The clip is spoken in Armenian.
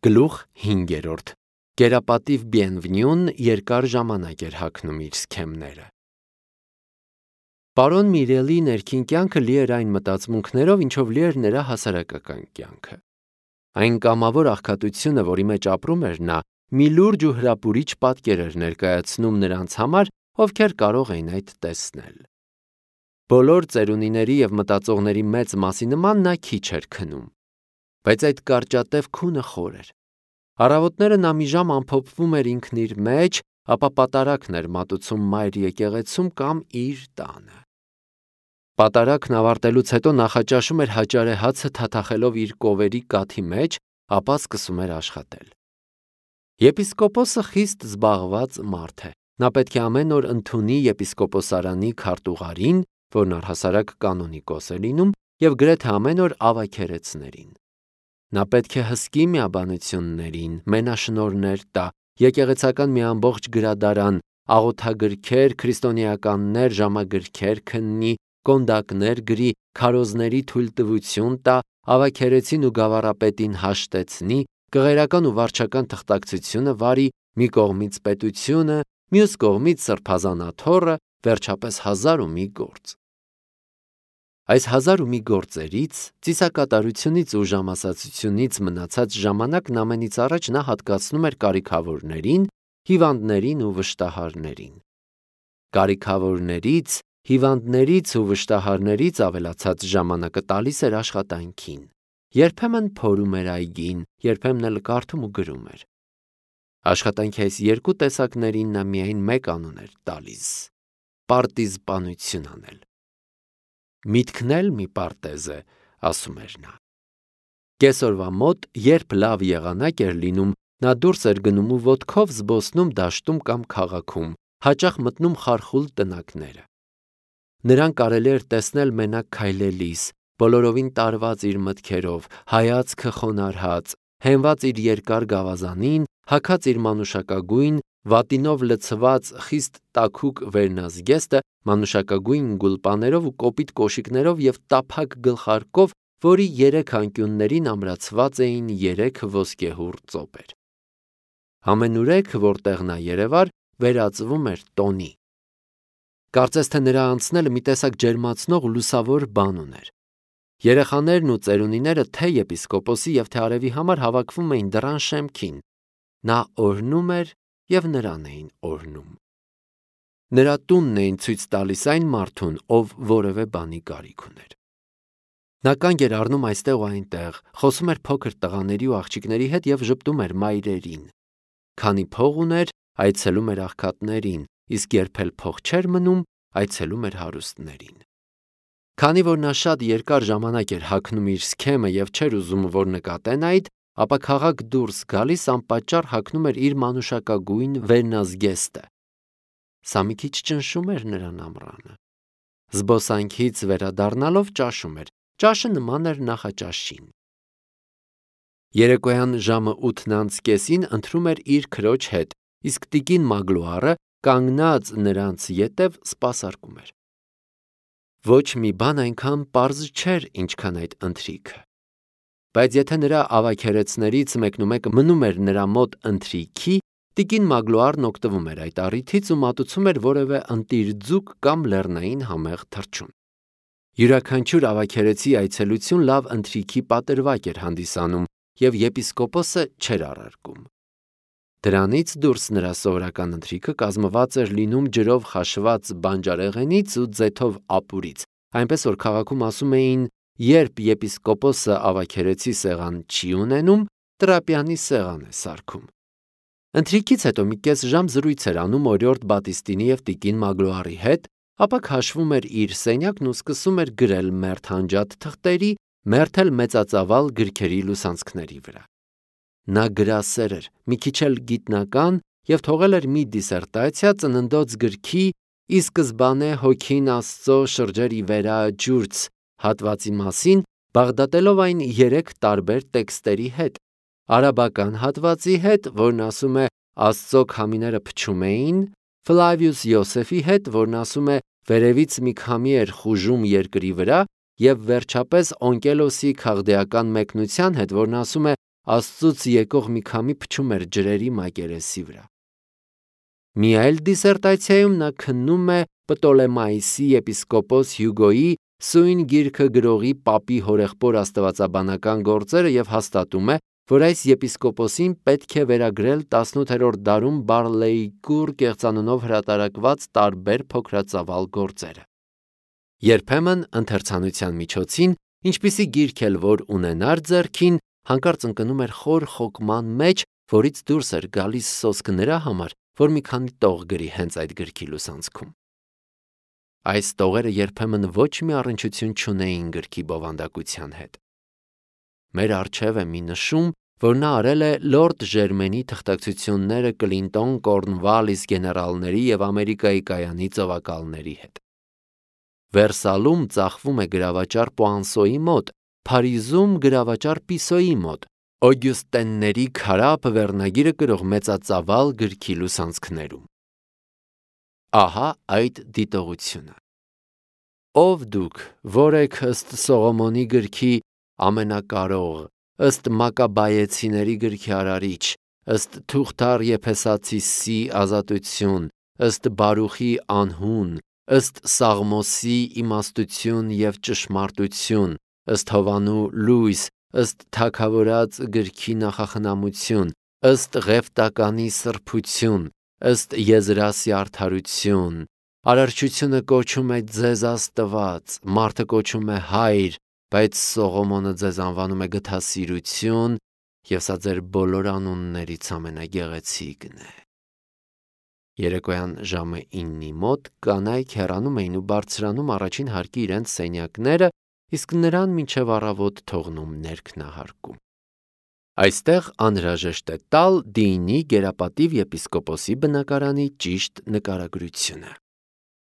Գլուխ 5. Կերապատիվ Բիենվենյուն երկար ժամանակ էր հագնում իր սքեմները։ Պարոն Միրելի ներքին կյանքը լի էր այն մտածմունքներով, ինչով լի էր նրա հասարակական կյանքը։ Այն կամավոր աղքատությունը, որի մեջ ապրում էր նա, մի լուրջ ու հրապուրիչ պատկեր էր ներկայացնում նրանց համար, ովքեր կարող էին այդ տեսնել։ Բոլոր ծերունիների և մտածողների մեծ մասի նման նա քիչ էր քնում, բայց այդ կարճատև քունը խոր էր։ Առավոտները նա մի ժամ ամփոփվում էր ինքն իր մեջ, ապա պատարագն էր մատուցում մայր եկեղեցում կամ իր տանը։ Պատարագն ավարտելուց հետո նախաճաշում էր հաճարե հացը թաթախելով իր կովերի կաթի մեջ, ապա սկսում էր աշխատել։ Եպիսկոպոսը խիստ զբաղված մարդ է։ Նա պետք է ամեն օր ընդունի եպիսկոպոսարանի քարտուղարին, որն առհասարակ կանոնիկոս է լինում, և գրեթե ամեն օր ավագերեցներին։ Նա պետք է հսկի միաբանություններին, մենաշնորհներ տա, եկեղեցական մի ամբողջ գրադարան, աղոթագրքեր, քրիստոնեականներ, ժամագրքեր քննի, կոնդակներ գրի, քարոզների թույլտվություն տա, ավագերեցին ու գավառապետին հաշտեցնի, կղերական ու վարչական թղթակցությունը վարի, մի կողմից պետությունը, մյուս կողմից սրբազանաթոռը, վերջապես 1001 գործ։ Այս 1001 գործերից, ծիսակատարությունից ու ժամասացությունից մնացած ժամանակն ամենից առաջ նա հատկացնում էր կարիքավորներին, հիվանդներին ու վշտահարներին։ Կարիքավորներից, հիվանդներից ու վշտահարներից ավելացած ժամանակը տալիս էր աշխատանքին։ Երբեմն փորում էր այգին, երբեմն էլ կարդում ու գրում էր։ Աշխատանքի այս երկու տեսակներին նա միայն մեկ անուն էր տալիս՝ պարտիզպանություն անել։ Միտքն էլ մի պարտեզ է, ասում էր նա։ Կեսօրվա մոտ, երբ լավ եղանակ էր լինում, նա դուրս էր գնում ու ոտքով զբոսնում դաշտում կամ քաղաքում, հաճախ մտնում խարխուլ տնակները։ Նրան կարելի էր տեսնել մենակ քայլելիս, բոլորովին տարված իր մտքերով, հայացքը խոնարհած, հենված իր երկար գավազանին, հագած իր մանուշակագույն, վատինով լցված խիստ տաքուկ վերնազգեստը, մանուշակագույն գուլպաներով ու կոպիտ կոշիկներով և տափակ գլխարկով, որի 3 անկյուններին ամրացված էին 3 ոսկեհուռ ծոպեր։ Ամենուրեք, որտեղ նա երևար, վերածվում էր տոնի։ Կարծես թե նրա անցնելը մի տեսակ ջերմացնող ու լուսավոր բան ուներ։ Երեխաներն ու ծերունիները թե եպիսկոպոսի և թե արևի համար հավաքվում էին դռան շեմքին։ Նա օրհնում էր և նրան էին օրհնում։ Նրա տունն էին ցույց տալիս այն մարդուն, ով որևէ բանի կարիք ուներ։ Նա կանգ էր առնում այստեղ ու այնտեղ, խոսում էր փոքր տղաների ու աղջիկների հետ և ժպտում էր մայրերին։ Քանի փող ուներ, այցելում էր աղքատներին, իսկ երբ էլ փող չէր մնում, այցելում էր հարուստներին։ Քանի որ նա շատ երկար ժամանակ էր հագնում իր սքեմը և չէր ուզում, որ նկատեն այդ, ապա քաղաք դուրս գալիս անպատճառ հագնում էր իր մանուշակագույն վերնազգեստը։ Սա մի քիչ ճնշում էր նրան ամռանը։ Զբոսանքից վերադառնալով ճաշում էր, ճաշը նման էր նախաճաշին։ Երեկոյան ժամը 8:30-ին ընթրում էր իր քրոջ հետ, իսկ տիկին Մագլուարը, կանգնած նրանց ետև, սպասարկում էր։ Ոչ մի բան այնքան պարզ չէր, ինչքան այդ ընթրիքը։ Բայց եթե նրա ավագերեցներից մեկնումեկը մնում էր նրա մոտ ընթրիքի, տիկին Մագլուարն օգտվում էր այդ առիթից ու մատուցում էր որևէ ընտիր ձուկ կամ լեռնային համեղ թռչուն։ Յուրաքանչյուր ավագերեցի այցելություն լավ ընթրիքի պատրվակ էր հանդիսանում, և եպիսկոպոսը չէր առարկում։ Դրանից դուրս նրա սովորական ընթրիքը կազմված էր լինում ջրով խաշված բանջարեղենից ու ձեթով ապուրից, այնպես որ քաղաքում ասում էին, երբ եպիսկոպոսը ավագերեցի սեղան չի ունենում, Տրապյանի սեղան է սարքում։ Ընթրիքից հետո մի կես ժամ զրույց էր անում օրիորդ Բատիստինի և տիկին Մագլուարի հետ, ապա քաշվում էր իր սենյակն ու սկսում էր գրել մերթ հանջատ թղթերի, մերթ էլ մեծածավալ գրքերի լուսանցքների վրա։ Նա գրասեր էր, մի քիչ էլ գիտնական և թողել էր մի դիսերտացիա ծննդոց գրքի «Ի սկզբանե հոգին Աստծո շրջեր ի վերա ջուրց» հատվածի մասին, բաղդատելով այն 3 տարբեր տեքստերի հետ. արաբական հատվածի հետ, որն ասում է Աստծո քամիները փչում էին, Ֆլավիուս Յոսեֆի հետ, որն ասում է վերևից մի քամի էր խուժում երկրի վրա, և վերջապես Օնկելոսի քաղդեական մեկնության հետ, որն ասում է Աստծուց եկող մի քամի փչում էր ջրերի մակերեսի վրա։ Մի այլ դիսերտացիայում նա քննում է Պտոլեմայիսի եպիսկոպոս Հյուգոյի Սույն գիրքը գրողի պապի հորեղբոր աստվածաբանական գործերը եւ հաստատում է, որ այս եպիսկոպոսին պետք է վերագրել 18-րդ դարում Բարլեյկուր կեղծանունով հրատարակված տարբեր փոքրածավալ գործերը։ Երբեմն ընթերցանության միջոցին, ինչպիսի գիրք էլ որ ունենար ձեռքին, հանկարծ ընկնում էր խոր խոկման մեջ, որից դուրս էր գալիս սոսկ նրա համար, որ մի քանի տող գրի հենց այդ գրքի լուսանցքում։ Այս տողերը երբեմն ոչ մի առնչություն չունեին գրքի բովանդակության հետ։ Մեր առջև է մի նշում, որ նա արել է Լորդ Ժերմենի թղթակցությունները Կլինտոն Կորնվալիս գեներալների եւ Ամերիկայի կայանի ծովակալների հետ։ Վերսալում ծախվում է գրավաճառ Պուանսոյի մոտ, Փարիզում գրավաճառ Պիսոյի մոտ, Օգյուստենների քարափ վերնագիրը կրող մեծածավալ գրքի լուսանցքներում։ Ահա այդ դիտողությունը։ Ով դուք, որ եք ըստ Սողոմոնի գրքի ամենակարող, ըստ Մակաբայեցիների գրքի արարիչ, ըստ Թուղթար Եփեսացիսի ազատություն, ըստ Բարուխի անհուն, ըստ Սաղմոսի իմաստություն եւ ճշմարտություն, ըստ Հովանու լույս, ըստ Թագավորաց գրքի նախախնամություն, ըստ Ղևտականի սրբություն, ըստ Եզրասի արդարություն, արարչությունը կոչում է ձեզ Աստված, մարդը կոչում է Հայր, բայց Սողոմոնը ձեզ անվանում է գթասիրություն, եւ սա ձեր բոլոր անուններից ամենագեղեցիկն է։ Երեկոյան ժամը 9-ի մոտ կանայք հեռանում էին ու բարձրանում առաջին հարկի իրենց սենյակները, իսկ նրան մինչև առավոտ թողնում ներքնահարկում։ Այստեղ անհրաժեշտ է տալ Դիինի գերապատիվ եպիսկոպոսի բնակարանի ճիշտ նկարագրությունը։